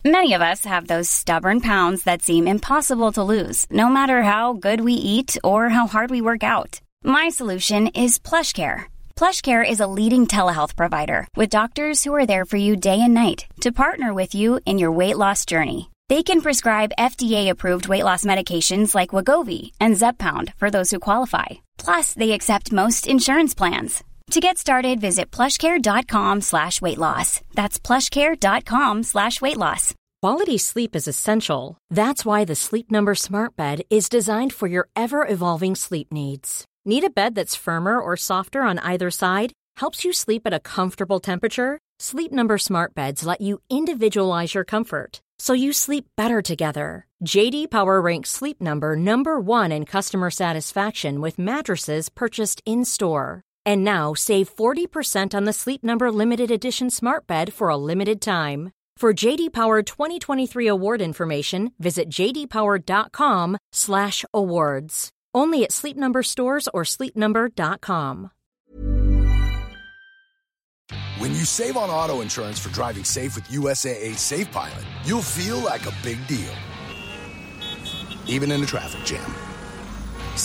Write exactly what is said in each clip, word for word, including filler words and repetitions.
Many of us have those stubborn pounds that seem impossible to lose, no matter how good we eat or how hard we work out. My solution is PlushCare. PlushCare is a leading telehealth provider with doctors who are there for you day and night to partner with you in your weight loss journey. They can prescribe F D A-approved weight loss medications like Wegovy and Zepbound for those who qualify. Plus, they accept most insurance plans. To get started, visit plushcare.com slash weight loss. That's plushcare.com slash weight loss. Quality sleep is essential. That's why the Sleep Number Smart Bed is designed for your ever-evolving sleep needs. Need a bed that's firmer or softer on either side? Helps you sleep at a comfortable temperature? Sleep Number Smart Beds let you individualize your comfort, so you sleep better together. J D Power ranks Sleep Number number one in customer satisfaction with mattresses purchased in-store. And now save forty percent on the Sleep Number Limited Edition Smart Bed for a limited time. For J D Power twenty twenty-three award information, visit jdpower.com slash awards. Only at Sleep Number stores or sleep number dot com. When you save on auto insurance for driving safe with U S A A Safe Pilot, you'll feel like a big deal, even in a traffic jam.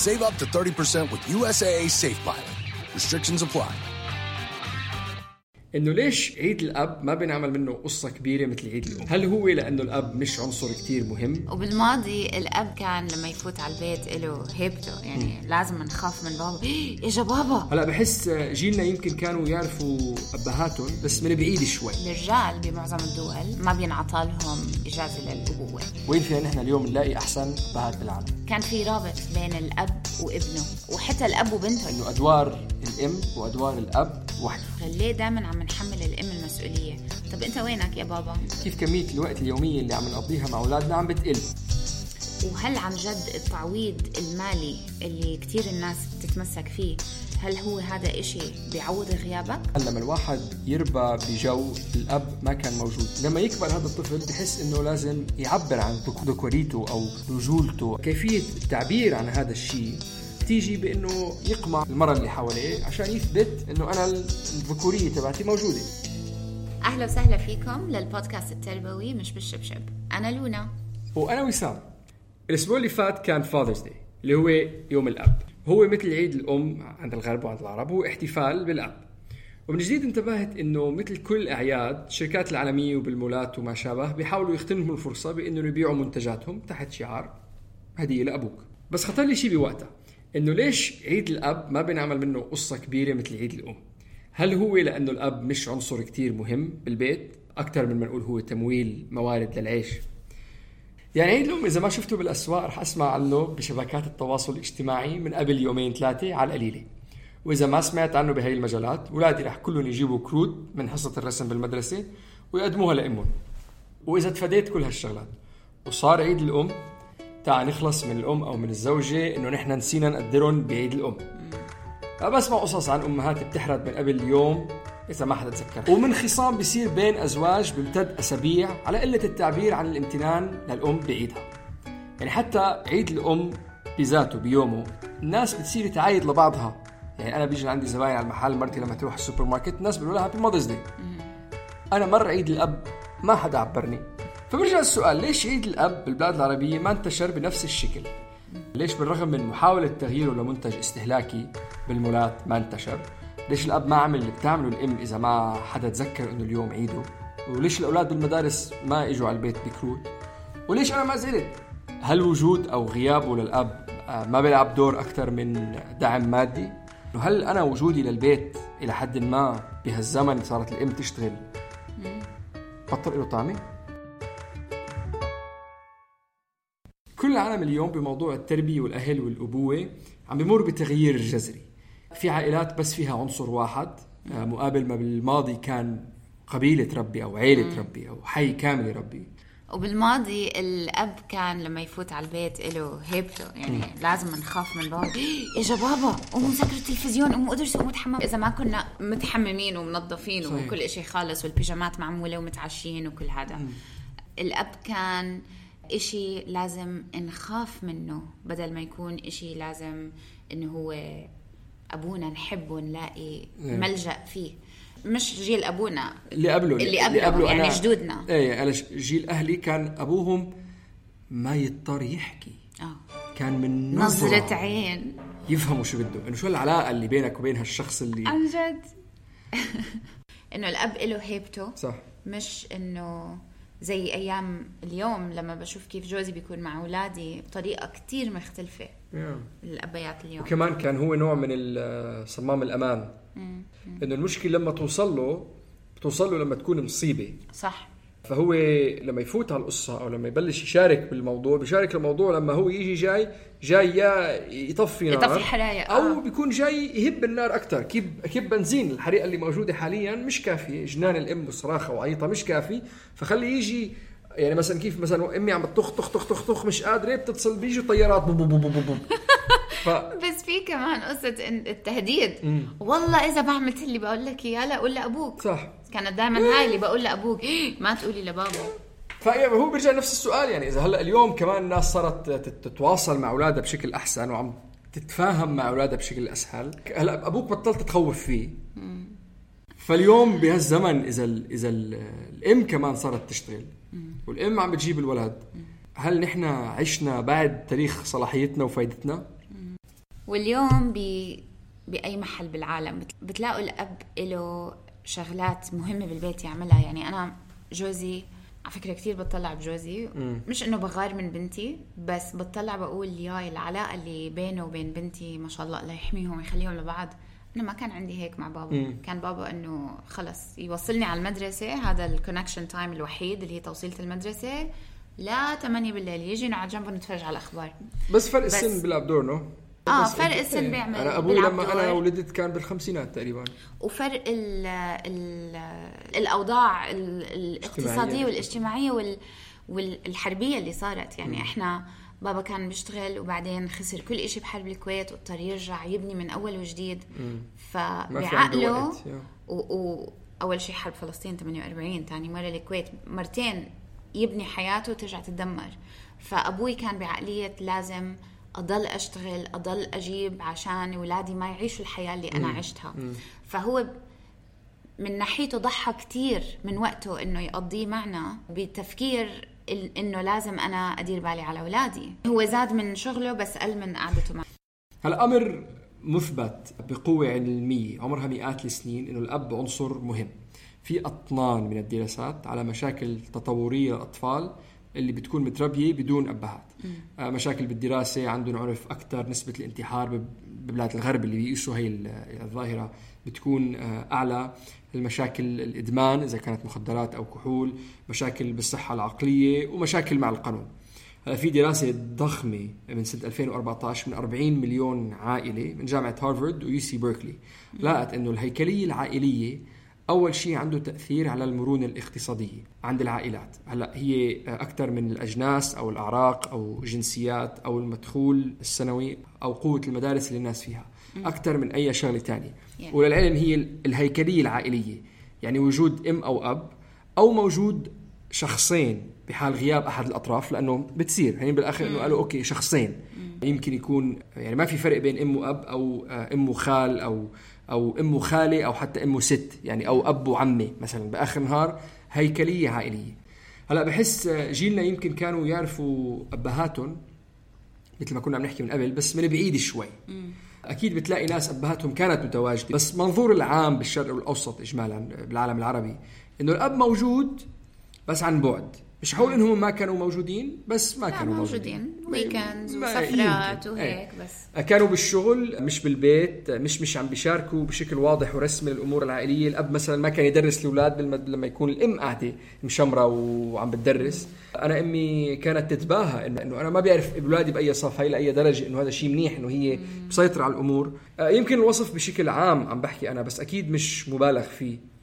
Save up to thirty percent with U S A A Safe Pilot. Restrictions apply. إنه ليش عيد الأب ما بنعمل منه قصة كبيرة مثل عيد الأم؟ هل هو لأنه الأب مش عنصر كتير مهم؟ وبالماضي الأب كان لما يفوت على البيت له هيبته، يعني م. لازم نخاف من بابا. إجا بابا. هلا بحس جيلنا يمكن كانوا يعرفوا أبهاتهم بس من بعيد شوي. الرجال بمعظم الدول ما بينعطى لهم إجازة للأبوة. وين فينا نحن اليوم نلاقي أحسن أبهات بالعالم؟ كان في رابط بين الأب وابنه وحتى الأب وبنته. إنه أدوار الأم وأدوار الأب واحدة. ليه دائما عم نحمل الأم المسؤولية؟ طب أنت وينك يا بابا؟ كيف كمية الوقت اليومية اللي عم نقضيها مع أولادنا عم بتقل؟ وهل عن جد التعويض المالي اللي كتير الناس بتتمسك فيه، هل هو هذا إشي بيعوض غيابك؟ لما الواحد يربى بجو الأب ما كان موجود، لما يكبر هذا الطفل بحس إنه لازم يعبر عن ذكوريته أو رجولته. كيفية التعبير عن هذا الشيء تيجي بأنه يقمع المرأة اللي حواليه عشان يثبت أنه أنا الذكورية تبعتي موجودة. أهلا وسهلا فيكم للبودكاست التربوي مش بالشبشب. أنا لونا وأنا وسام. الأسبوع اللي فات كان فاذرز داي اللي هو يوم الأب. هو مثل عيد الأم عند الغرب وعند العرب، هو احتفال بالأب. ومن جديد انتبهت أنه مثل كل الأعياد الشركات العالمية وبالمولات وما شابه بيحاولوا يغتنموا الفرصة بأنه يبيعوا منتجاتهم تحت شعار هدية لأبوك. بس خطر لي شيء بوقتها، إنه ليش عيد الأب ما بنعمل منه قصة كبيرة مثل عيد الأم؟ هل هو لأنه الأب مش عنصر كتير مهم بالبيت أكتر من ما نقول هو تمويل موارد للعيش؟ يعني عيد الأم إذا ما شفته بالأسواق رح أسمع عنه بشبكات التواصل الاجتماعي من قبل يومين ثلاثة على القليلة، وإذا ما سمعت عنه بهاي المجالات ولادي رح كلهم يجيبوا كروت من حصة الرسم بالمدرسة ويقدموها لأمهم. وإذا تفاديت كل هالشغلات وصار عيد الأم، تعال نخلص من الأم أو من الزوجة إنه نحن نسينا نقدرهم بعيد الأم. بسمع قصص عن أمهات بتحرد من قبل يوم إذا ما حدا تذكر، ومن خصام بيصير بين أزواج بمتد أسابيع على قلة التعبير عن الامتنان للأم بعيدها. يعني حتى عيد الأم بذاته بيومه الناس بتصير تعايد لبعضها. يعني أنا بيجي عندي زباين على المحل، مرتي لما تروح السوبر ماركت الناس بيقولوا لها هابي ماذرز داي. أنا مر عيد الأب ما حدا عبرني. فبرجع السؤال، ليش عيد الأب بالبلاد العربية ما انتشر بنفس الشكل؟ ليش بالرغم من محاولة تغييره لمنتج استهلاكي بالمولات ما انتشر؟ ليش الأب ما عمل اللي بتعمله الأم إذا ما حدا تذكر إنه اليوم عيده؟ وليش الأولاد بالمدارس ما إجوا على البيت بكروت؟ وليش أنا ما زلت؟ هل وجود أو غيابه للأب ما بيلعب دور أكتر من دعم مادي؟ وهل أنا وجودي للبيت إلى حد ما بهالزمن صارت الأم تشتغل بطل له طعمه؟ كل العالم اليوم بموضوع التربية والأهل والأبوة عم بيمر بتغيير جذري. في عائلات بس فيها عنصر واحد مقابل ما بالماضي كان قبيلة ربي أو عائلة ربي أو حي كامل ربي. وبالماضي الأب كان لما يفوت على البيت له هيبته، يعني م. لازم نخاف من بابا. إجا بابا قوموا سكروا التلفزيون، قوموا ادرسوا، قوموا تحمموا. إذا ما كنا متحممين ومنظفين صحيح. وكل إشي خالص والبيجامات معمولة ومتعشين وكل هذا م. الأب كان إشي لازم نخاف منه بدل ما يكون إشي لازم إنه هو أبونا نحبه نلاقي ملجأ فيه. مش جيل ابونا اللي قبله اللي قبله, اللي قبله يعني أنا جدودنا. ايه انا جيل اهلي كان ابوهم ما يضطر يحكي اه كان من نظرة, نظرة عين يفهموا شو بده، انه شو العلاقه اللي بينك وبين هالشخص اللي عن جد انه الاب له هيبته صح، مش انه زي ايام اليوم لما بشوف كيف جوزي بيكون مع اولادي بطريقه كتير مختلفه yeah. الابيات اليوم. وكمان كان هو نوع من صمام الامان، انه المشكله لما توصل له بتوصل له لما تكون مصيبه صح، فهو لما يفوت على القصة أو لما يبلش يشارك بالموضوع بيشارك الموضوع لما هو يجي جاي جاي يا يطفي نار يطفي حرايق أو آه. بيكون جاي يهب النار أكتر، كيب كيب بنزين. الحريقة اللي موجودة حاليا مش كافية، جنان الأم والصراخة وعيطة مش كافي، فخلي يجي يعني مثلا كيف مثلا أمي عم بتطخ طخ طخ طخ طخ مش قادرة بتتصل بيجي طيارات بو بو بو بو بو ف... بس في كمان قصة التهديد مم. والله إذا ما عملت اللي بقول لك إياه لا قول لأبوك. صح، كانت دائما هاي اللي بقول لأبوك ما تقولي لبابا. فهو بيرجع نفس السؤال، يعني إذا هلأ اليوم كمان الناس صارت تتواصل مع أولادها بشكل أحسن وعم تتفاهم مع أولادها بشكل أسهل، هلأ أبوك بطلت تخوف فيه مم. فاليوم بهالزمن إذا ال إذا ال الأم كمان صارت تشتغل مم. والأم عم بتجيب الولد مم. هل نحن عشنا بعد تاريخ صلاحيتنا وفايدتنا؟ واليوم ب... بأي محل بالعالم بتلاقوا الأب له شغلات مهمة بالبيت يعملها. يعني أنا جوزي على فكرة كتير بتطلع بجوزي م. مش إنه بغار من بنتي، بس بتطلع بقول ياي العلاقة اللي بينه وبين بنتي ما شاء الله الله يحميهم ويخليهم لبعض. أنا ما كان عندي هيك مع بابا م. كان بابا إنه خلص يوصلني على المدرسة، هذا الكونكشن تايم الوحيد اللي هي توصيلة المدرسة، لا تمانية بالليل يجي نقعد جنبه نتفرج على الأخبار. بس فرق السن بيلعب دور نو؟ اه فرق السن بيعمل. انا ابوي لما انا ولدت كان بالخمسينات تقريبا، وفرق ال ال الاوضاع الاقتصاديه والاجتماعيه وال والحربيه اللي صارت. يعني م. احنا بابا كان بيشتغل وبعدين خسر كل إشي بحرب الكويت واضطر يرجع يبني من اول وجديد، فبعقله واول شيء حرب فلسطين ثمانية وأربعين، ثاني مره الكويت، مرتين يبني حياته وترجع تدمر. فابوي كان بعقليه لازم أضل أشتغل أضل أجيب عشان أولادي ما يعيشوا الحياة اللي أنا عشتها. مم. فهو من ناحيته ضحى كتير من وقته إنه يقضيه معنا بتفكير إنه لازم أنا أدير بالي على أولادي. هو زاد من شغله بس قل من قعدته معه. هالأمر مثبت بقوة علمية عمرها مئات السنين إنه الأب عنصر مهم. في أطنان من الدراسات على مشاكل تطورية للأطفال اللي بتكون متربية بدون أبهات. آه مشاكل بالدراسة، عندهم عنف أكتر، نسبة الانتحار ببلاد الغرب اللي بيقيسوا هاي الظاهرة بتكون آه أعلى، المشاكل الإدمان إذا كانت مخدرات أو كحول، مشاكل بالصحة العقلية، ومشاكل مع القانون. هلا في دراسة ضخمة من سنة ألفين وأربعة عشر من أربعين مليون عائلة من جامعة هارفارد ويو سي بيركلي، لقت إنه الهيكلية العائلية أول شيء عنده تأثير على المرونة الاقتصادية عند العائلات. هلأ هي أكثر من الأجناس أو الأعراق أو جنسيات أو المدخول السنوي أو قوة المدارس اللي الناس فيها أكثر من أي شغلة تانية. yeah. وللعلم هي الهيكلية العائلية، يعني وجود أم أو أب أو موجود شخصين بحال غياب أحد الأطراف، لأنه بتصير يعني بالآخر إنه قالوا أوكي شخصين mm. يمكن يكون يعني ما في فرق بين أم وأب أو أم وخال أو أو أم وخالة أو حتى أم وست، يعني أو أب وعمة مثلا، بآخر النهار هيكلية عائلية. هلأ بحس جيلنا يمكن كانوا يعرفوا أبهاتهم مثل ما كنا عم نحكي من قبل بس من بعيد شوي. أكيد بتلاقي ناس أبهاتهم كانت متواجدة، بس منظور العام بالشرق والأوسط إجمالا بالعالم العربي إنه الأب موجود بس عن بعد. مش حول إنهم ما كانوا موجودين، بس ما كانوا موجودين، ويكندز وسفرات وهيك، بس كانوا بالشغل مش بالبيت، مش مش عم بيشاركوا بشكل واضح ورسمي الأمور العائلية. الأب مثلا ما كان يدرس الأولاد بالمد... لما يكون الأم قاعدة مشمرة وعم بتدرس. أنا أمي كانت تتباهى إنه إنه أنا ما بيعرف أولادي بأي صف، هاي لأي درجة إنه هذا شيء منيح إنه هي مسيطرة على الأمور. يمكن الوصف بشكل عام عم بحكي أنا، بس أكيد مش مبالغ فيه.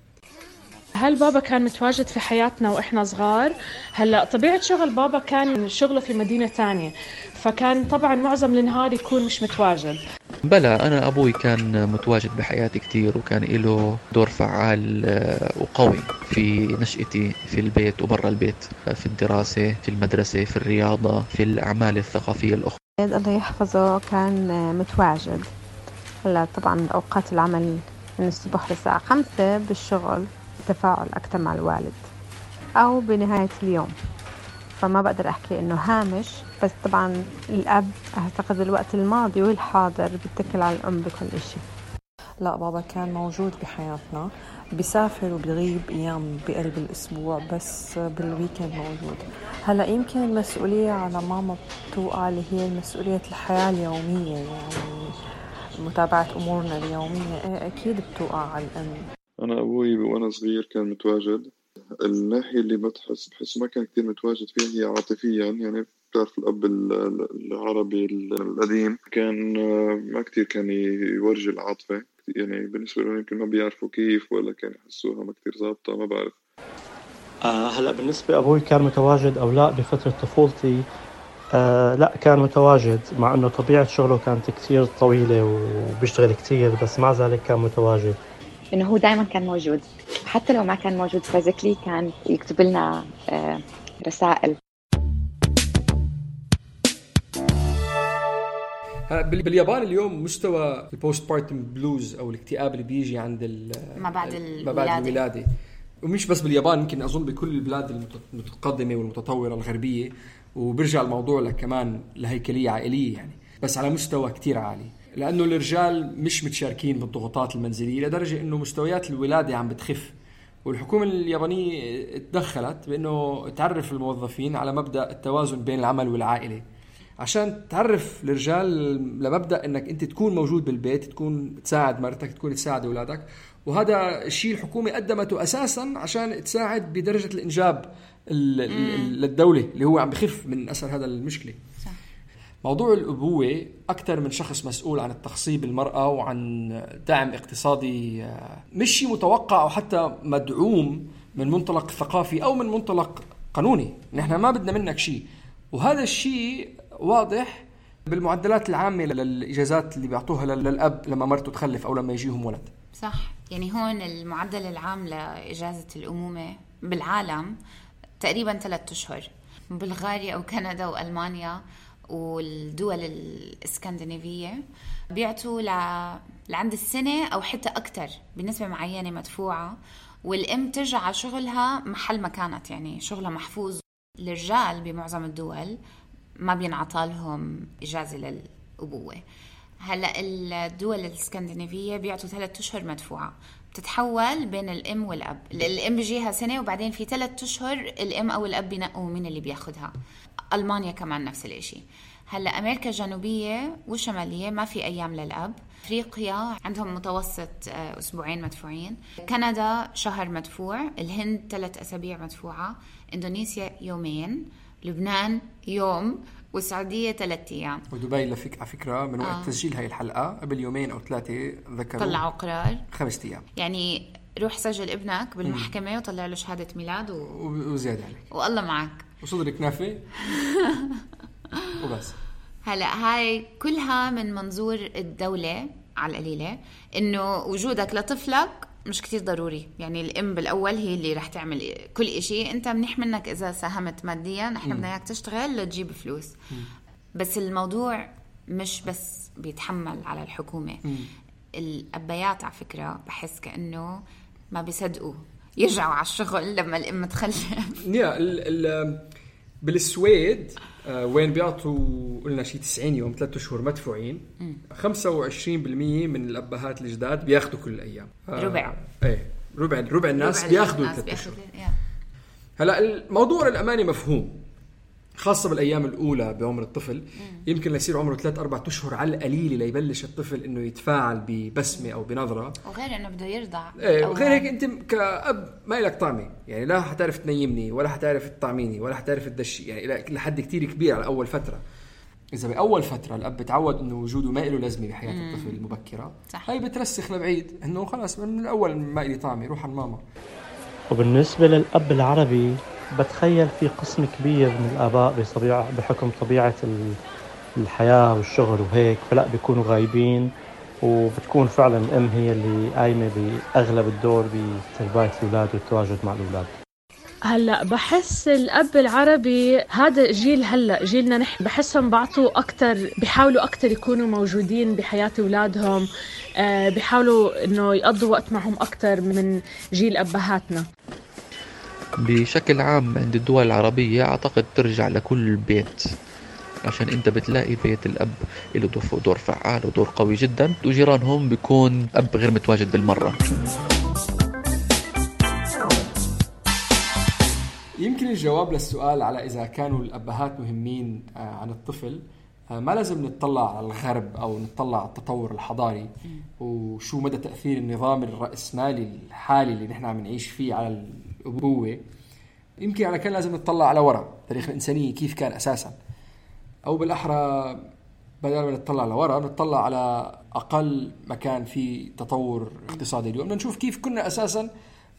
هل بابا كان متواجد في حياتنا وإحنا صغار؟ هلأ طبيعة شغل بابا كان شغله في مدينة تانية، فكان طبعا معظم النهار يكون مش متواجد. بلا أنا أبوي كان متواجد بحياتي كتير، وكان له دور فعال وقوي في نشأتي في البيت وبرا البيت، في الدراسة، في المدرسة، في الرياضة، في الأعمال الثقافية الأخرى. الله يحفظه كان متواجد. هلا طبعا أوقات العمل من الصبح للساعة خمسة بالشغل، تفاعل أكتر مع الوالد، أو بنهاية اليوم. فما بقدر أحكي إنه هامش، بس طبعا الأب أعتقد الوقت الماضي والحاضر بيتكل على الأم بكل إشي. لا، بابا كان موجود بحياتنا، بيسافر وبيغيب أيام بقلب الأسبوع، بس بالويكند موجود. هلأ يمكن المسؤولية على ماما بتوقع اللي هي مسؤولية الحياة اليومية، يعني متابعة أمورنا اليومية. أكيد بتوقع على الأم. أنا أبوي وأنا صغير كان متواجد. الناحية اللي بتحس بحس ما كان كتير متواجد فيها هي عاطفيا، يعني بتعرف الأب العربي القديم كان ما كتير كان يورجي العاطفة، يعني بالنسبة لهم يمكن ما بيعرفوا كيف، ولا كان يحسوها ما كتير ظابطة، ما بعرف. آه هلأ بالنسبة أبوي كان متواجد أو لا بفترة طفولتي، آه لا كان متواجد، مع أنه طبيعة شغله كانت كتير طويلة وبيشتغل كتير، بس مع ذلك كان متواجد. إنه هو دائما كان موجود، حتى لو ما كان موجود فيزيكلي كان يكتب لنا آه رسائل. باليابان اليوم مستوى البوست بارتم بلوز او الاكتئاب اللي بيجي عند ما بعد ما بعد الولادة، ومش بس باليابان، يمكن أظن بكل البلاد المتقدمة والمتطورة الغربية، وبرجع الموضوع لك كمان لهيكلية عائلية يعني، بس على مستوى كتير عالي، لأنه الرجال مش متشاركين بالضغوطات المنزلية لدرجة إنه مستويات الولادة عم بتخف. والحكومة اليابانية اتدخلت بأنه تعرف الموظفين على مبدأ التوازن بين العمل والعائلة، عشان تعرف الرجال لمبدأ انك انت تكون موجود بالبيت، تكون تساعد مرتك، تكون تساعد اولادك. وهذا الشيء الحكومة قدمته اساسا عشان تساعد بدرجة الانجاب للدولة اللي هو عم بخف من اثر هذا المشكلة. صح. موضوع الابوة اكثر من شخص مسؤول عن التخصيب المرأة وعن دعم اقتصادي مش شيء متوقع او حتى مدعوم من منطلق ثقافي او من منطلق قانوني. نحن ما بدنا منك شيء، وهذا الشيء واضح بالمعدلات العامة للإجازات اللي بيعطوها للأب لما مرته تخلف أو لما يجيهم ولد. صح، يعني هون المعدل العام لإجازة الأمومة بالعالم تقريبا ثلاثة أشهر. بلغاريا أو كندا وألمانيا والدول الإسكندنافية بيعطوا لعند السنة أو حتى أكتر بنسبة معينة مدفوعة، والأم ترجع على شغلها محل ما كانت، يعني شغلها محفوظ. الرجال بمعظم الدول ما بينعطى لهم إجازة للأبوة. هلأ الدول الإسكندنافية بيعطوا ثلاثة أشهر مدفوعة، بتتحول بين الأم والأب. الأم بيجيها سنة وبعدين في ثلاثة أشهر الأم أو الأب بينقوا مين اللي بياخدها. ألمانيا كمان نفس الاشي. هلأ أمريكا الجنوبية والشمالية ما في أيام للأب. أفريقيا عندهم متوسط أسبوعين مدفوعين. كندا شهر مدفوع. الهند ثلاث أسابيع مدفوعة. إندونيسيا يومين. لبنان يوم. والسعودية ثلاثة أيام. ودبي لفك على فكرة من وقت آه. تسجيل هاي الحلقة قبل يومين أو ثلاثة ذكروا طلعوا قرار خمسة أيام. يعني روح سجل ابنك بالمحكمة مم. وطلع له شهادة ميلاد و... وزيادة عليك والله معك وصدر كنافة وبس. هلأ هاي كلها من منظور الدولة على القليلة، إنه وجودك لطفلك مش كتير ضروري. يعني الأم بالأول هي اللي رح تعمل كل إشي، أنت منيح منك إذا ساهمت ماديا، إحنا بدنا إياك تشتغل لتجيب فلوس. مم. بس الموضوع مش بس بيتحمل على الحكومة. مم. الأبيات على فكرة بحس كأنه ما بيصدقوا يرجعوا على الشغل لما الأم تخلف. يا ال ال بالسويد آه وين بيعطوا قلنا شيء تسعين يوم ثلاثة شهور مدفوعين، خمسة وعشرين بالمية من الأبهات الجداد بياخدوا كل الأيام. آه ربع ايه ربع ربع الناس بياخدوا ثلاثة شهور. هلا الموضوع الأماني مفهوم، خاصة بالأيام الأولى بعمر الطفل. مم. يمكن يصير عمره ثلاث أربعة أشهر على القليل ليبلش الطفل إنه يتفاعل ببسمة أو بنظرة، وغير إنه بده يرضع. إيه وغير هيك أنت كأب ما لك طعمة، يعني لا حتعرف تنيمني ولا حتعرف تطعميني ولا حتعرف تدشي، يعني لحد كتير كبير على أول فترة. إذا بأول فترة الأب تعود إنه وجوده ما له لازمة بحياة مم. الطفل المبكرة، صح. هاي بترسخ لبعيد إنه خلاص من الأول ما لي طعمة، روح على ماما. وبالنسبة للأب العربي بتخيل في قسم كبير من الآباء بطبيعة بحكم طبيعة الحياة والشغل وهيك، فلا بيكونوا غايبين، وبتكون فعلا الأم هي اللي قايمة بأغلب الدور بتربية الأولاد والتواجد مع الأولاد. هلا بحس الأب العربي هذا جيل هلا جيلنا نحن بحسهم بعطوا أكتر، بيحاولوا أكتر يكونوا موجودين بحياة أولادهم، أه بيحاولوا إنه يقضوا وقت معهم أكتر من جيل أبهاتنا. بشكل عام عند الدول العربية أعتقد ترجع لكل بيت، عشان انت بتلاقي بيت الأب له دور فعال ودور قوي جدا، وجيرانهم بيكون أب غير متواجد بالمرة. يمكن الجواب للسؤال على إذا كانوا الأبهات مهمين عن الطفل ما لازم نتطلع على الغرب أو نتطلع على التطور الحضاري وشو مدى تأثير النظام الرأسمالي الحالي اللي نحن عم نعيش فيه على الأبوة. يمكن على كان لازم نتطلع على وراء تاريخ الإنسانية كيف كان أساسا، أو بالأحرى بدل ما نتطلع لورا نتطلع على أقل مكان في تطور اقتصادي اليوم، نشوف كيف كنا أساسا،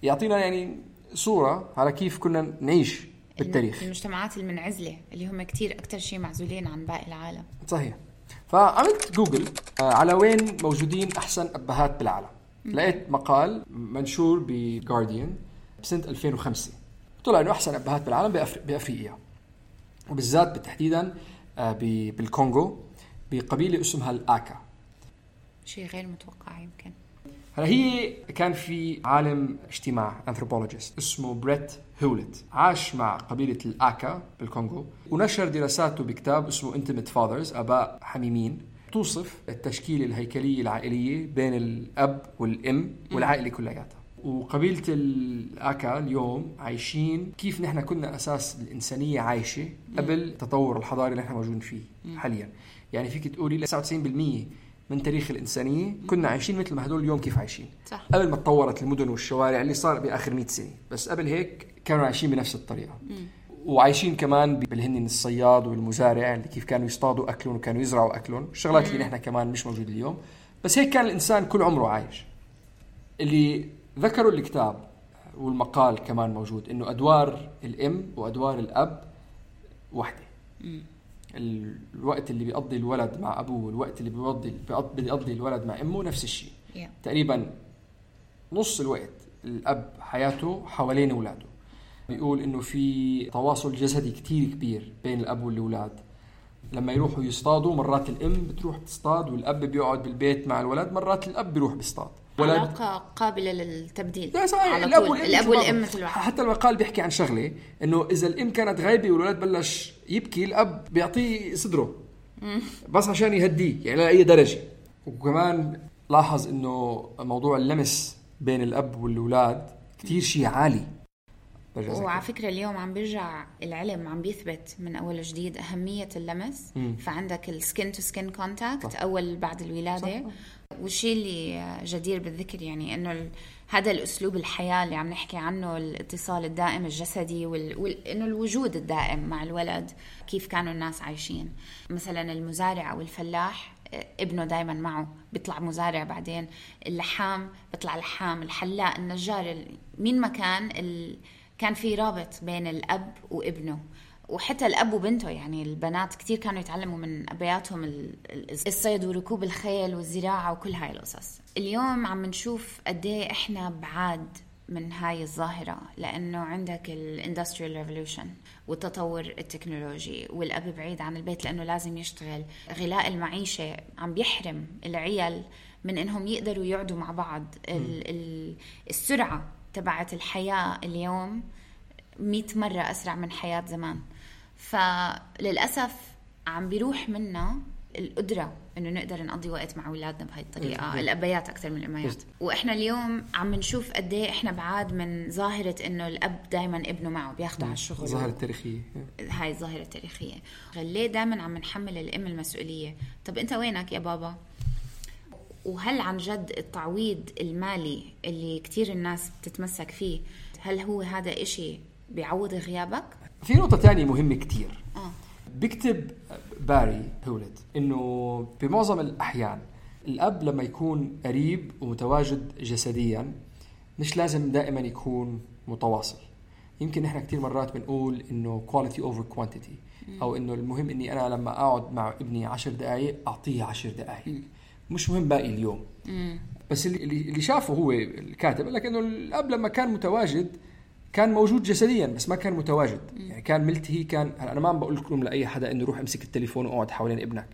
يعطينا يعني صورة على كيف كنا نعيش بالتاريخ. المجتمعات المنعزلة اللي هم كتير أكتر شيء معزولين عن باقي العالم. صحيح. فعملت جوجل على وين موجودين أحسن أبهات بالعالم. لقيت مقال منشور بجارديان بسنة ألفين وخمسة، طلع إنه أحسن أبهات بالعالم بأفر... بأفريقيا، وبالذات بالتحديدا بالكونغو بقبيلة اسمها الآكا. شيء غير متوقع يمكن. هلا هي كان في عالم اجتماع anthropologist اسمه بريت هولت، عاش مع قبيلة الآكا بالكونغو ونشر دراساته بكتاب اسمه Intimate Fathers، آباء حميمين، توصف التشكيلة الهيكلية العائلية بين الأب والأم والعائلة كلياتها. وقبيلة الآكا اليوم عايشين كيف نحن كنا أساس الإنسانية عايشة قبل التطور الحضاري اللي نحن موجودين فيه حاليا. يعني فيك تقولي تسعة وتسعين بالمية من تاريخ الإنسانية كنا عايشين مثل ما هدول اليوم كيف عايشين، صح. قبل ما تطورت المدن والشوارع اللي صار بآخر مئة سنة، بس قبل هيك كانوا عايشين بنفس الطريقة. مم. وعايشين كمان بالهن الصياد والمزارع اللي كيف كانوا يصطادوا أكلهم وكانوا يزرعوا أكلهم، الشغلات اللي نحن كمان مش موجود اليوم، بس هيك كان الإنسان كل عمره عايش. اللي ذكروا الكتاب والمقال كمان موجود إنه أدوار الأم وأدوار الأب واحدة. مم. الوقت اللي بيقضي الولد مع أبوه والوقت اللي بيقضي بيقضي الولد مع أمه نفس الشيء. yeah. تقريبا نص الوقت الأب حياته حوالين أولاده. بيقول إنه في تواصل جسدي كتير كبير بين الأب والأولاد. لما يروحوا يصطادوا مرات الأم بتروح تصطاد والأب بيقعد بالبيت مع الولد، مرات الأب بيروح بيصطاد. علاقة قابلة للتبديل. الأب والأم, والأم مثل حتى المقال بيحكي عن شغلة إنه إذا الأم كانت غايبة والولد بلش يبكي الأب بيعطيه صدره بس عشان يهديه يعني لأي درجة. وكمان لاحظ إنه موضوع اللمس بين الأب والأولاد كتير شيء عالي. وعلى فكرة اليوم عم بيرجع العلم عم بيثبت من أول جديد أهمية اللمس. مم. فعندك السكين تو سكين كونتاكت أول بعد الولادة. صح. والشيء اللي جدير بالذكر يعني إنه هذا الأسلوب الحياة اللي عم نحكي عنه، الاتصال الدائم الجسدي وال... وال... إنه الوجود الدائم مع الولد، كيف كانوا الناس عايشين. مثلا المزارع أو الفلاح ابنه دايما معه بيطلع مزارع، بعدين اللحام بيطلع لحام، الحلاق، النجار، مين ما كان ال... كان في رابط بين الأب وابنه، وحتى الأب وبنته. يعني البنات كتير كانوا يتعلموا من أبياتهم الصيد وركوب الخيل والزراعة وكل هاي القصص. اليوم عم نشوف قديه إحنا بعاد من هاي الظاهرة، لأنه عندك الاندستريال ريفولوشن والتطور التكنولوجي، والأب بعيد عن البيت لأنه لازم يشتغل. غلاء المعيشة عم بيحرم العيال من إنهم يقدروا يقعدوا مع بعض. السرعة تبعت الحياة اليوم مئة مرة أسرع من حياة زمان، فللأسف عم بيروح منا القدرة إنه نقدر نقضي وقت مع أولادنا بهاي الطريقة. الأبيات أكثر من الأميات. وإحنا اليوم عم نشوف قديه إحنا بعاد من ظاهرة إنه الأب دايما ابنه معه بياخده على الشغل. ظاهرة التاريخية، هاي الظاهرة التاريخية. ليه دايما عم نحمل الأم المسؤولية؟ طب أنت وينك يا بابا؟ وهل عن جد التعويض المالي اللي كتير الناس بتتمسك فيه، هل هو هذا إشي بيعوض غيابك؟ في نقطة تانية مهمة كتير. آه. بيكتب باري هولت إنه بمعظم الأحيان الأب لما يكون قريب ومتواجد جسديا مش لازم دائما يكون متواصل. يمكن نحن كتير مرات بنقول إنه quality over quantity، أو إنه المهم إني أنا لما أقعد مع ابني عشر دقايق أعطيه عشر دقايق، مش مهم باقي اليوم. مم. بس اللي اللي شافه هو الكاتب قال لك إنه الأب لما كان متواجد كان موجود جسديا بس ما كان متواجد. يعني كان ملتهي. كان أنا ما عم بقول لكم لأي حدا إنه روح امسك التليفون وقعد حوالين ابنك.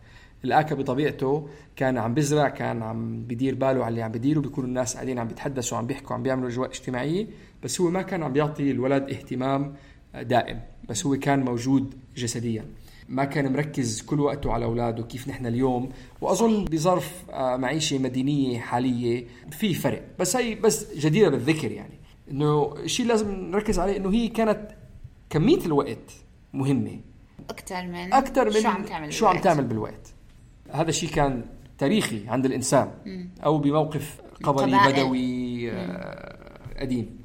الآكا بطبيعته كان عم بزرع، كان عم بدير باله على اللي عم بديره، بيكونوا الناس قاعدين عم بيتحدثوا عم بيحكوا عم بيعملوا أجواء اجتماعية، بس هو ما كان عم بيعطي الولد اهتمام دائم، بس هو كان موجود جسديا، ما كان مركز كل وقته على أولاده كيف نحن اليوم. وأظن بظرف معيشة مدينية حالية في فرق، بس هي بس جديرة بالذكر. يعني إنه الشيء لازم نركز عليه إنه هي كانت كمية الوقت مهمة أكتر من أكتر من شو عم تعمل شو عم تعمل بالوقت. هذا الشيء كان تاريخي عند الإنسان مم. أو بموقف قبلي قبائل. بدوي آه قديم.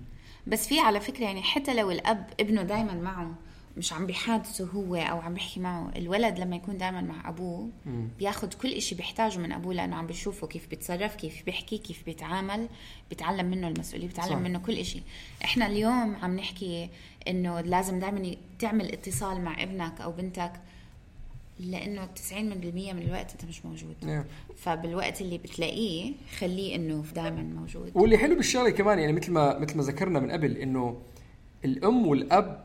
بس في على فكرة يعني حتى لو الأب ابنه دايما معه مش عم بيحادثه هو أو عم بيحكي معه، الولد لما يكون دايما مع أبوه مم. بياخد كل إشي بيحتاجه من أبوه، لأنه عم بيشوفه كيف بيتصرف، كيف بيحكي، كيف بيتعامل، بيتعلم منه المسؤولية، بيتعلم صح. منه كل إشي. إحنا اليوم عم نحكي إنه لازم دايما تعمل اتصال مع ابنك أو بنتك، لأنه تسعين بالمية من الوقت أنت مش موجود. yeah. فبالوقت اللي بتلاقيه خليه إنه دائما موجود. واللي حلو بالشغله كمان يعني مثل ما مثل ما ذكرنا من قبل إنه الأم والأب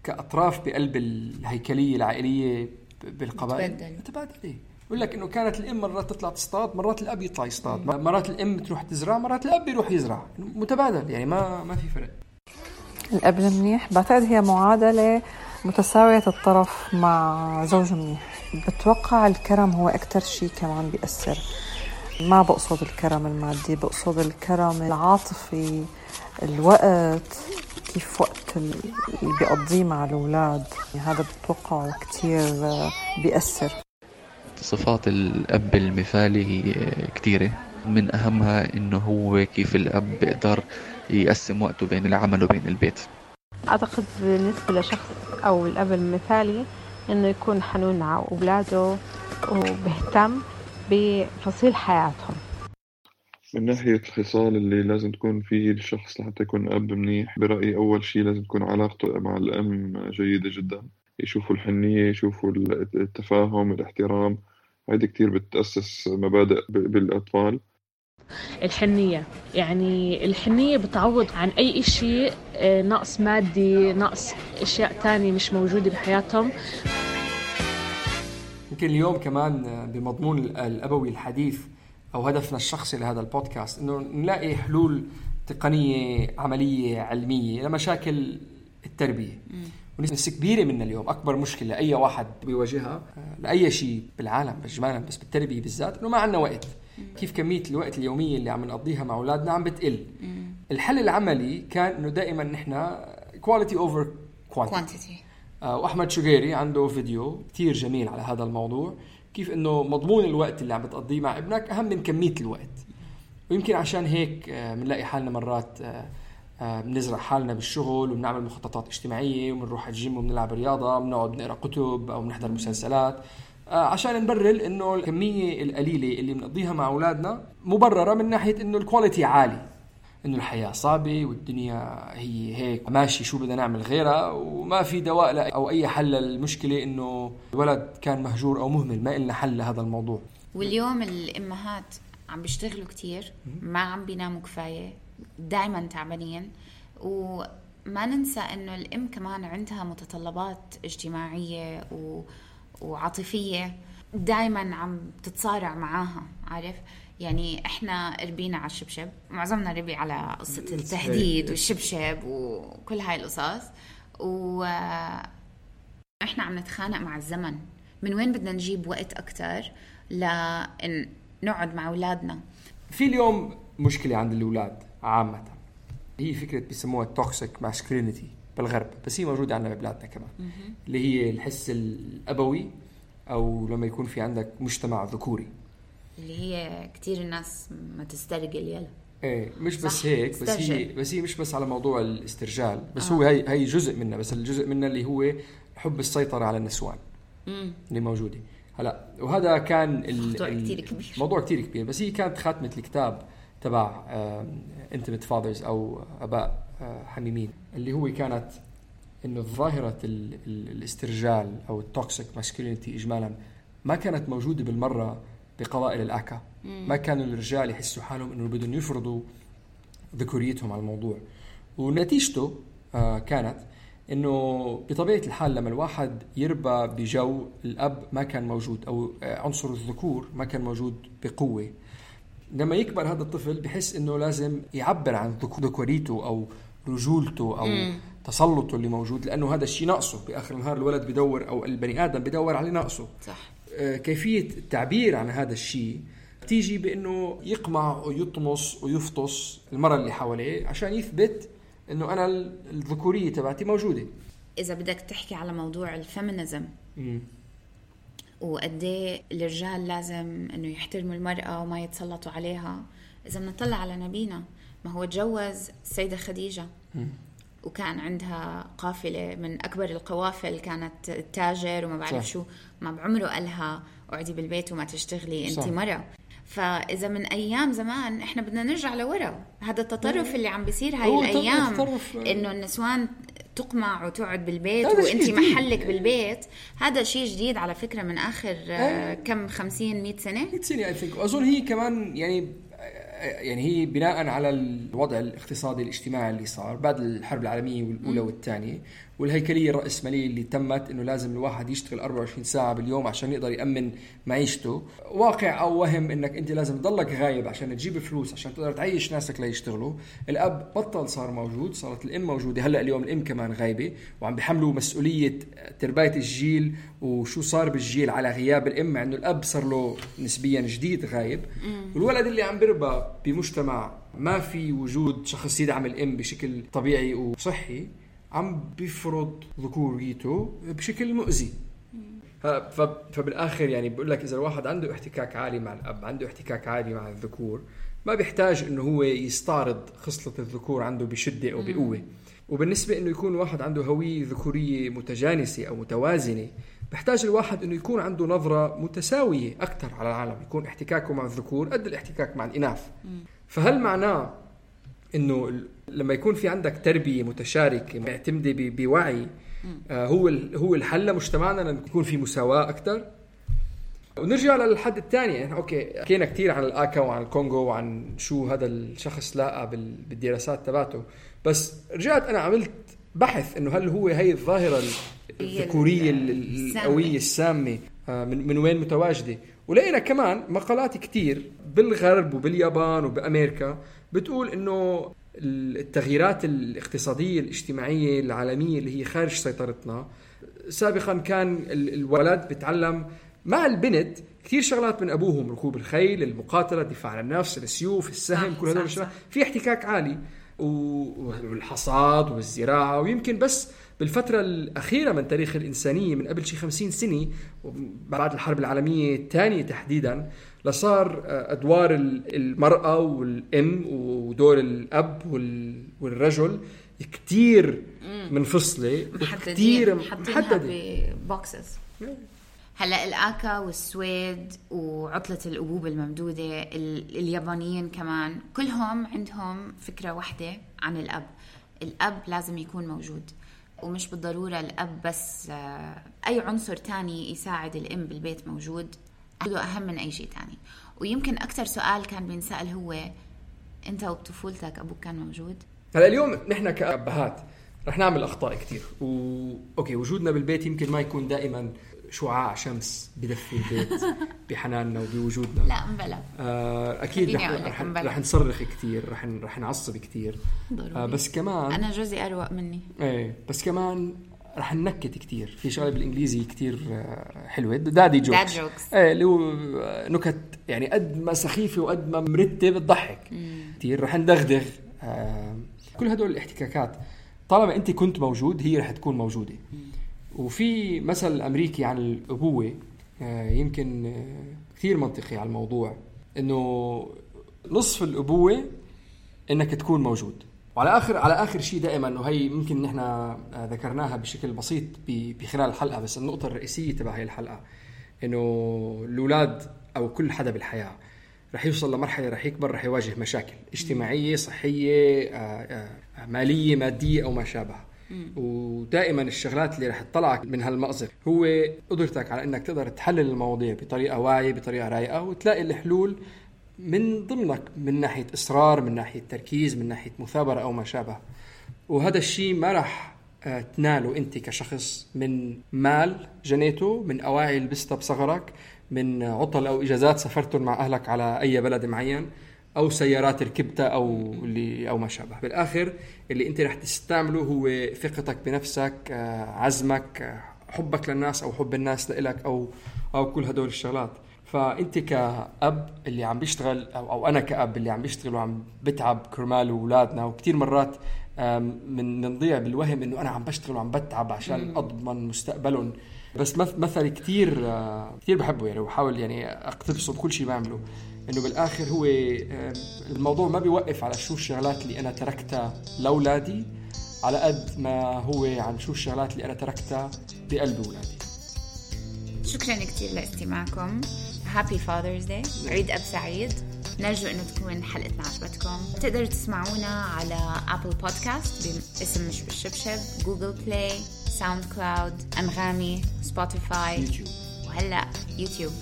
كأطراف بقلب الهيكلية العائلية بالقبائل متبادلة. يقول لك إنه كانت الأم مرات تطلع تصطاد، مرات الأب يطلع يصطاد، مرات الأم تروح تزرع، مرات الأب يروح يزرع، متبادل. يعني ما ما في فرق. الأب منيح بعتقد هي معادلة متساوية الطرف مع زوج منيح. بتوقع الكرم هو أكتر شيء كمان بيأثر. ما بقصد الكرم المادي، بقصد الكرم العاطفي، الوقت، كيف وقت اللي بيقضيه مع الأولاد. يعني هذا بتوقع كتير بيأثر. صفات الأب المثالي هي كتيرة، من أهمها إنه هو كيف الأب بيقدر يقسم وقته بين العمل وبين البيت. أعتقد بالنسبة لشخص أو الأب المثالي إنه يكون حنون مع أولاده وبهتم بفصيل حياتهم. من ناحية الخصال اللي لازم تكون فيه الشخص لحتى يكون أب منيح، برأيي أول شيء لازم تكون علاقته مع الأم جيدة جدا. يشوفوا الحنية، يشوفوا التفاهم، الاحترام. هذه كتير بتأسس مبادئ بالأطفال. الحنية، يعني الحنية بتعوض عن أي إشي نقص مادي، نقص أشياء تانية مش موجودة بحياتهم. يمكن اليوم كمان بمضمون الأبوي الحديث أو هدفنا الشخصي لهذا البودكاست إنه نلاقي حلول تقنية عملية علمية لمشاكل التربية. ونسبة كبيرة منا اليوم أكبر مشكلة أي واحد بيواجهها لأي شيء بالعالم بجمالا، بس بالتربية بالذات، إنه ما عنا وقت. كيف كمية الوقت اليومية اللي عم نقضيها مع أولادنا عم بتقل. الحل العملي كان إنه دائما نحنا quality over quantity. آه وأحمد شقيري عنده فيديو كتير جميل على هذا الموضوع، كيف إنه مضمون الوقت اللي عم بتقضيه مع ابنك أهم من كمية الوقت. ويمكن عشان هيك بنلاقي آه حالنا مرات آه آه بنزرع حالنا بالشغل وبنعمل مخططات اجتماعية وبنروح الجيم وبنلعب رياضة، بنقعد نقرأ كتب أو بنحضر مسلسلات، آه عشان نبرر إنه الكمية القليلة اللي بنقضيها مع أولادنا مبررة من ناحية إنه الكواليتي عالي، إنه الحياة صعبة والدنيا هي هيك ماشي، شو بدنا نعمل غيرها، وما في دواء أو أي حل للمشكلة إنه الولد كان مهجور أو مهمل. ما إلنا حل لهذا الموضوع. واليوم الأمهات عم بيشتغلوا كتير، ما عم بيناموا كفاية، دايما تعبانين. وما ننسى إنه الأم كمان عندها متطلبات اجتماعية و... وعاطفية دايما عم تتصارع معاها، عارف؟ يعني احنا ربينا على الشبشب، معظمنا ربي على قصة التهديد والشبشب وكل هاي القصص، واحنا عم نتخانق مع الزمن من وين بدنا نجيب وقت أكتر لأن نقعد مع أولادنا. في اليوم مشكلة عند الأولاد عامة، هي فكرة بيسموها توكسيك ماسكولينيتي بالغرب، بس هي موجودة عندنا ببلادنا كمان، اللي هي الحس الأبوي، أو لما يكون في عندك مجتمع ذكوري، اللي هي كتير الناس ما تسترجل يلا. ايه مش بس هيك، بس هي بس هي مش بس على موضوع الاسترجال، بس آه. هو هي هي جزء منه، بس الجزء منه اللي هو حب السيطرة على النسوان مم. اللي موجودة هلا. وهذا كان موضوع كتير كبير، موضوع كتير كبير. بس هي كانت خاتمة الكتاب تبع Intimate Fathers أو أباء حميمين، اللي هو كانت إنه ظاهرة الاسترجال أو التوكسيك ماسكولينيتي إجمالا ما كانت موجودة بالمرة بقبائل الآكا. ما كانوا الرجال يحسوا حالهم إنه بدهم يفرضوا ذكوريتهم على الموضوع، ونتيجته آه كانت إنه بطبيعة الحال لما الواحد يربى بجو الأب ما كان موجود أو عنصر الذكور ما كان موجود بقوة، لما يكبر هذا الطفل بحس إنه لازم يعبر عن ذكوريته أو رجولته أو مم. تسلطه اللي موجود، لأنه هذا الشيء ناقصه. بآخر النهار الولد بدور أو البني آدم بدور على ناقصه. صح. آه كيفية التعبير عن هذا الشيء تيجي بأنه يقمع ويطمس ويفطس المرأة اللي حواليه عشان يثبت إنه أنا الذكورية تبعتي موجودة. إذا بدك تحكي على موضوع الفيمينيزم وقديه الرجال لازم إنه يحترموا المرأة وما يتسلطوا عليها، إذا بنطلع على نبينا ما هو تجوز السيدة خديجة م. وكان عندها قافلة من أكبر القوافل، كانت التاجر وما بعرف شو، ما بعمره قالها اقعدي بالبيت وما تشتغلي أنت مرة. فإذا من أيام زمان إحنا بدنا نرجع لورا، هذا التطرف اللي عم بيصير هاي الأيام إنه النسوان تقمع وتقعد بالبيت وإنتي محلك بالبيت، هذا شيء جديد على فكرة من آخر كم خمسين مئة سنة مئة سنة I think. أظن هي كمان يعني يعني هي بناء على الوضع الاقتصادي الاجتماعي اللي صار بعد الحرب العالمية الأولى والثانية والهيكلية الرأسمالية اللي تمت إنه لازم الواحد يشتغل أربعة وعشرين ساعة باليوم عشان يقدر يأمن معيشته. واقع أو وهم إنك أنت لازم تضلك غايب عشان تجيب فلوس عشان تقدر تعيش ناسك ليشتغلوا. الأب بطل صار موجود، صارت الأم موجودة. هلأ اليوم الأم كمان غايبة وعم بيحملوا مسؤولية تربية الجيل وشو صار بالجيل على غياب الأم، مع إنه الأب صار له نسبيا جديد غايب. والولد اللي عم بيربى بمجتمع ما في وجود شخص يدعم الأم بشكل طبيعي وصحي عم بيفرض ذكوريته بشكل مؤذي. فبالآخر يعني بقول لك إذا الواحد عنده احتكاك عالي مع الأب، عنده احتكاك عالي مع الذكور، ما بيحتاج إنه هو يستعرض خصلة الذكور عنده بشدة أو بقوة. وبالنسبة إنه يكون واحد عنده هوية ذكورية متجانسة أو متوازنة، بيحتاج الواحد إنه يكون عنده نظرة متساوية أكتر على العالم، يكون احتكاكه مع الذكور قد الاحتكاك مع الإناث. فهل معناه إنه لما يكون في عندك تربية متشاركة معتمدة بوعي آه هو هو الحل لمجتمعنا أن يكون في مساواة أكتر؟ ونرجع للحد الثاني. يعني أوكي حكينا كتير عن الآكا وعن الكونغو وعن شو هذا الشخص لاقى بالدراسات تبعته، بس رجعت أنا عملت بحث إنه هل هو هاي الظاهرة الذكورية القوية السامة آه من من وين متواجدة. ولقينا كمان مقالات كتير بالغرب وباليابان وبأمريكا بتقول إنه التغييرات الاقتصادية الاجتماعية العالمية اللي هي خارج سيطرتنا، سابقا كان الولد بتعلم مع البنت كتير شغلات من أبوهم، ركوب الخيل، المقاتلة، الدفاع عن النفس، السيوف، السهم، كل هذول الشغلات في احتكاك عالي، والحصاد والزراعة. ويمكن بس بالفترة الأخيرة من تاريخ الإنسانية من قبل شي خمسين سنة بعد الحرب العالمية الثانية تحديدا لصار أدوار المرأة والأم ودور الأب والرجل كتير منفصلة وكتير محددة ببوكسز. هلأ الآكا والسويد وعطلة الأبوب الممدودة اليابانيين كمان كلهم عندهم فكرة واحدة عن الأب. الأب لازم يكون موجود، ومش بالضرورة الأب بس، أي عنصر تاني يساعد الأم بالبيت موجود هذا أهم من أي شيء تاني. ويمكن أكتر سؤال كان بينسأل هو أنت وبطفولتك أبوك كان موجود؟ هلا اليوم نحن كأبهات رح نعمل أخطاء كتير و... أوكي وجودنا بالبيت يمكن ما يكون دائما شعاع شمس بدفي البيت بحناننا وبوجودنا. لا مبلا آه أكيد رح, رح, رح نصرخ كتير، رح, رح نعصب كتير آه بس كمان أنا جوزي أروق مني ايه بس كمان رح ننكت كتير. في شغله بالانجليزي كتير حلوه دادي جوكس, جوكس. ايه اللي هو نكت يعني قد ما سخيفه وقد ما مرتب بتضحك كتير. رح ندغدغ آه كل هدول الاحتكاكات طالما انت كنت موجود هي رح تكون موجوده. مم. وفي مثل امريكي عن الابوه آه يمكن آه كتير منطقي على الموضوع، انه نصف الابوه انك تكون موجود. وعلى آخر على آخر شيء دائما، إنه هي ممكن نحن ذكرناها بشكل بسيط بخلال الحلقة، بس النقطة الرئيسية تبع هاي الحلقة إنه الأولاد أو كل حدا بالحياة رح يوصل لمرحلة رح يكبر رح يواجه مشاكل اجتماعية صحية مالية مادية أو ما شابه. ودائما الشغلات اللي رح تطلعك من هالمأزق هو قدرتك على إنك تقدر تحلل المواضيع بطريقة واعية بطريقة رايقة وتلاقي الحلول من ضمنك، من ناحية إصرار، من ناحية تركيز، من ناحية مثابرة أو ما شابه. وهذا الشيء ما راح تناله أنت كشخص من مال جنيته، من أواعي لبستها بصغرك، من عطل أو إجازات سافرتهم مع أهلك على أي بلد معين، أو سيارات ركبتها أو اللي أو ما شابه. بالآخر اللي أنت راح تستعمله هو ثقتك بنفسك، عزمك، حبك للناس أو حب الناس لإلك، أو أو كل هدول الشغلات. فأنت كأب اللي عم بيشتغل، أو, أو أنا كأب اللي عم بيشتغل وعم بتعب كرمال أولادنا، وكتير مرات من نضيع بالوهم إنه أنا عم بشتغل وعم بتعب عشان أضمن مستقبلهم. بس مثل كتير كتير بحبه يعني، وحاول يعني أقتبسه بكل شيء بعمله، إنه بالآخر هو الموضوع ما بيوقف على شو الشغلات اللي أنا تركتها لأولادي، على قد ما هو عن شو الشغلات اللي أنا تركتها بقلب أولادي. شكرا كتير لاستماعكم. Happy Father's Day. عيد أب سعيد. نرجو أنه تكون حلقتنا عجبتكم. تقدروا تسمعونا على أبل بودكاست باسم مش بالشبشب، جوجل بلاي، ساوند كلاود، أنغامي، سبوتيفاي، يوتيوب. وهلأ يوتيوب.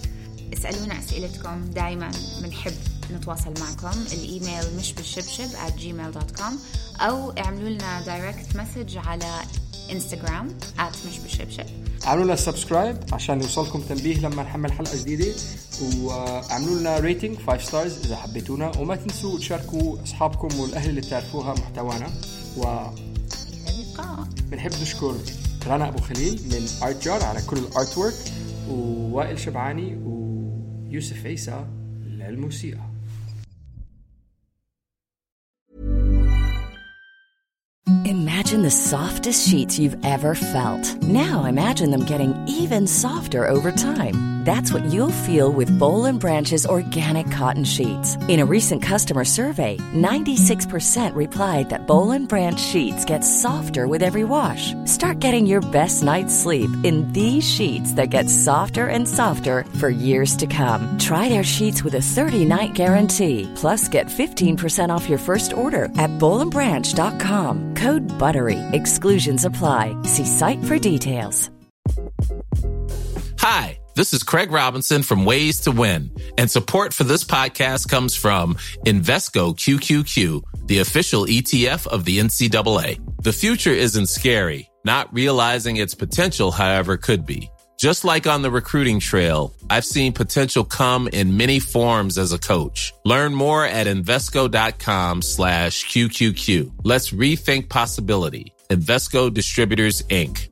اسألونا أسئلتكم، دايما بنحب نتواصل معكم. الإيميل مش بالشبشب at gmail dot com، أو اعملوا لنا دايركت مسج على إنستغرام at مش بالشبشب. اعملوا لنا سبسكرايب عشان يوصلكم تنبيه لما نحمل حلقة جديدة، واعملوا لنا ريتنج خمسة ستارز إذا حبيتونا، وما تنسوا تشاركوا أصحابكم والأهل اللي تعرفوها محتوانا. و بنحب نشكر رنا أبو خليل من آرت جار على كل الارت وورك، ووائل شبعاني ويوسف عيسى للموسيقى. Imagine the softest sheets you've ever felt. Now imagine them getting even softer over time. That's what you'll feel with Boll and Branch's organic cotton sheets. In a recent customer survey, ninety-six percent replied that Boll and Branch sheets get softer with every wash. Start getting your best night's sleep in these sheets that get softer and softer for years to come. Try their sheets with a thirty-night guarantee. Plus, get fifteen percent off your first order at boll and branch dot com. Code BUTTERY. Exclusions apply. See site for details. Hi, this is Craig Robinson from Ways to Win, and support for this podcast comes from Invesco Q Q Q, the official E T F of the N C double A. The future isn't scary. Not realizing its potential, however, could be. Just like on the recruiting trail, I've seen potential come in many forms as a coach. Learn more at Invesco.com slash QQQ. Let's rethink possibility. Invesco Distributors, Incorporated.